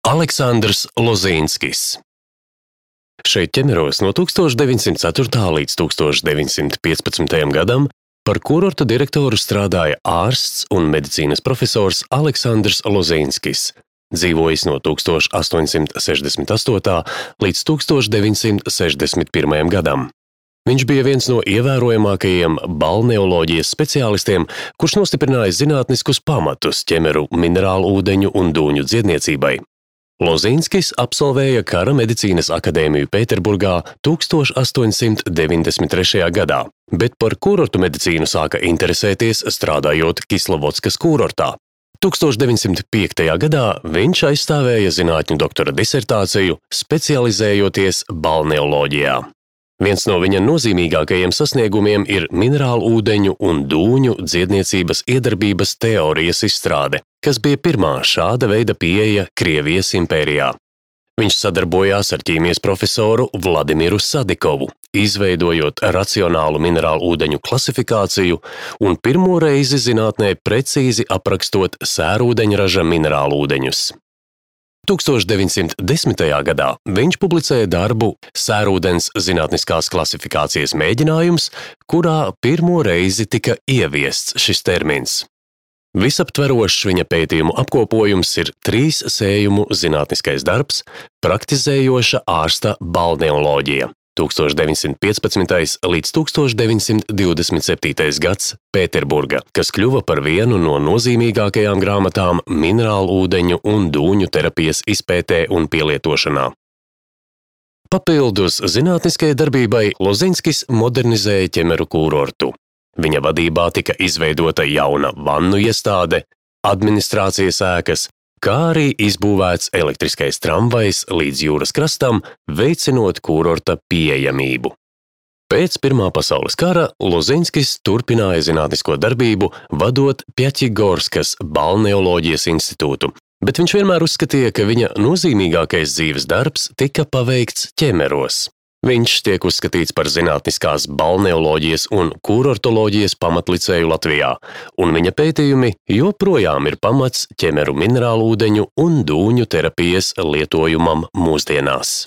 Aleksandrs Lozīnskis. Šeit Ķemeros no 1904. līdz 1915. gadam par kurorta direktoru strādāja ārsts un medicīnas profesors Aleksandrs Lozīnskis, dzīvojis no 1868. līdz 1961. gadam. Viņš bija viens no ievērojamākajiem balneoloģijas speciālistiem, kurš nostiprināja zinātniskus pamatus ķemeru minerālu ūdeņu un dūņu dziedniecībai. Lozīnskis absolvēja Kara medicīnas akadēmiju Pēterburgā 1893. gadā, bet par kurortu medicīnu sāka interesēties strādājot Kislavodskas kurortā. 1905. gadā viņš aizstāvēja zinātņu doktora disertāciju, specializējoties balneoloģijā. Viens no viņa nozīmīgākajiem sasniegumiem ir minerālu ūdeņu un dūņu dziedniecības iedarbības teorijas izstrāde, kas bija pirmā šāda veida pieeja Krievijas impērijā. Viņš sadarbojās ar ķīmijas profesoru Vladimiru Sadikovu, izveidojot racionālu minerālu ūdeņu klasifikāciju un pirmo reizi zinātnē precīzi aprakstot sērūdeņraža minerālu ūdeņus. 1910. gadā viņš publicēja darbu Sērūdens zinātniskās klasifikācijas mēģinājums, kurā pirmo reizi tika ieviests šis termins. Visaptverošs viņa pētījumu apkopojums ir 3 sējumu zinātniskais darbs Praktizējoša ārsta balneoloģija 1915. līdz 1927. gads Pēterburga, kas kļuva par vienu no nozīmīgākajām grāmatām minerālu ūdeņu un dūņu terapijas izpētē un pielietošanā. Papildus zinātniskajai darbībai Lozīnskis modernizēja ķemeru kurortu. Viņa vadībā tika izveidota jauna vannu iestāde, administrācijas ēkas, kā arī izbūvēts elektriskais tramvajs līdz jūras krastam, veicinot kurorta pieejamību. Pēc Pirmā pasaules kara Lozīnskis turpināja zinātnisko darbību, vadot Pjaķigorskas balneoloģijas institūtu, bet viņš vienmēr uzskatīja, ka viņa nozīmīgākais dzīves darbs tika paveikts Ķemeros. Viņš tiek uzskatīts par zinātniskās balneoloģijas un kurortoloģijas pamatlicēju Latvijā, un viņa pētījumi joprojām ir pamats ķemeru minerālu ūdeņu un dūņu terapijas lietojumam mūsdienās.